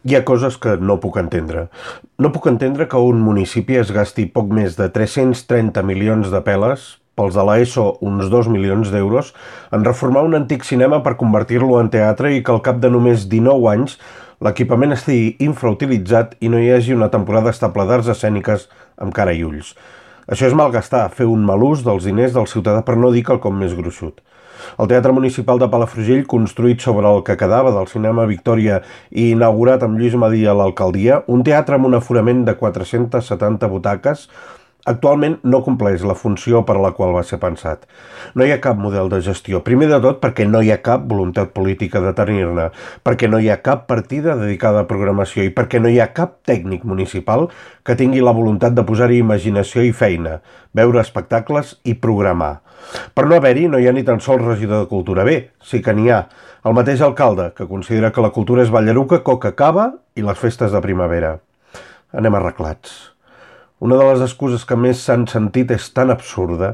Hi ha coses que no puc entendre. No puc entendre que un municipi es gasti poc més de 330 milions de peles, pels de l'ESO uns 2 milions d'euros, en reformar un antic cinema per convertir-lo en teatre i que al cap de només 19 anys l'equipament estigui infrautilitzat i no hi hagi una temporada estable d'arts escèniques amb cara i ulls. Això és malgastar, fer un mal ús dels diners del ciutadà, per no dir quelcom més gruixut. El Teatre Municipal de Palafrugell, construït sobre el que quedava del Cinema Victòria i inaugurat amb Lluís Madí a l'alcaldia, un teatre amb un aforament de 470 butaques, actualment no compleix la funció per a la qual va ser pensat. No hi ha cap model de gestió. Primer de tot perquè no hi ha cap voluntat política de tenir-ne, perquè no hi ha cap partida dedicada a programació i perquè no hi ha cap tècnic municipal que tingui la voluntat de posar-hi imaginació i feina, veure espectacles i programar. Per no haver-hi, no hi ha ni tan sols regidor de cultura. Bé, sí que n'hi ha. El mateix alcalde, que considera que la cultura és ballaruca, coca cava i les festes de primavera. Anem arreglats. Una de les excuses que més s'han sentit és tan absurda.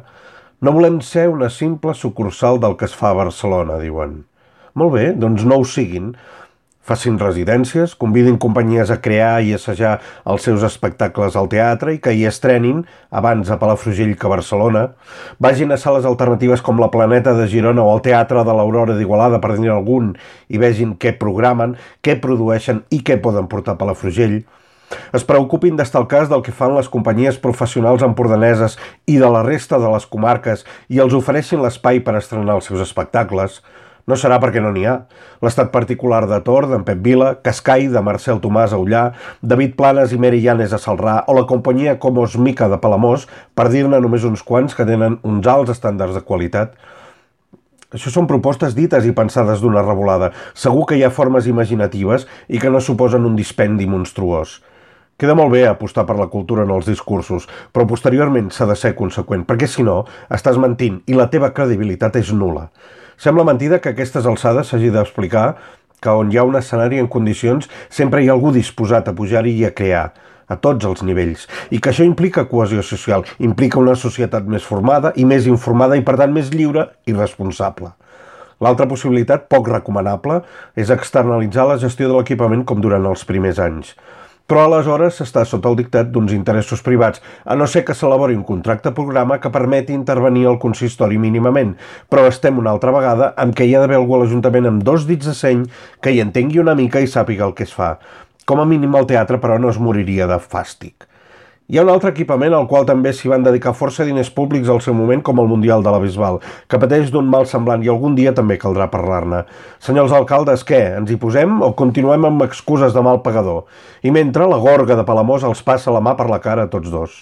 No volem ser una simple sucursal del que es fa a Barcelona, diuen. Molt bé, doncs no ho siguin. Facin residències, convidin companyies a crear i assajar els seus espectacles al teatre i que hi estrenin, abans a Palafrugell que a Barcelona. Vagin a sales alternatives com la Planeta de Girona o el Teatre de l'Aurora d'Igualada, per dir algun, i vegin què programen, què produeixen i què poden portar a Palafrugell. Es preocupin d'estar al cas del que fan les companyies professionals empordaneses i de la resta de les comarques i els ofereixin l'espai per estrenar els seus espectacles. No serà perquè no n'hi ha. L'estat particular de Tor, d'en Pep Vila, Cascai, de Marcel Tomàs a Ullà, David Planes i Mary Llanes a Celrà o la companyia Comos Mica de Palamós, per dir-ne només uns quants que tenen uns alts estàndards de qualitat. Això són propostes dites i pensades d'una revolada. Segur que hi ha formes imaginatives i que no suposen un dispendi monstruós. Queda molt bé apostar per la cultura en els discursos, però posteriorment s'ha de ser conseqüent, perquè si no, estàs mentint i la teva credibilitat és nul·la. Sembla mentida que a aquestes alçades s'hagi d'explicar que on hi ha un escenari en condicions sempre hi ha algú disposat a pujar-hi i a crear, a tots els nivells, i que això implica cohesió social, implica una societat més formada i més informada i per tant més lliure i responsable. L'altra possibilitat, poc recomanable, és externalitzar la gestió de l'equipament com durant els primers anys. Però aleshores s'està sota el dictat d'uns interessos privats, a no ser que s'elabori un contracte programa que permeti intervenir al consistori mínimament, però estem una altra vegada amb què hi ha d'haver algú a l'Ajuntament amb 2 dits de seny que hi entengui una mica i sàpiga el que es fa. Com a mínim el teatre, però, no es moriria de fàstic. Hi ha un altre equipament al qual també s'hi van dedicar força diners públics al seu moment, com el Mundial de la Bisbal, que pateix d'un mal semblant i algun dia també caldrà parlar-ne. Senyors alcaldes, què? Ens hi posem o continuem amb excuses de mal pagador? I mentre la gorga de Palamós els passa la mà per la cara a tots dos.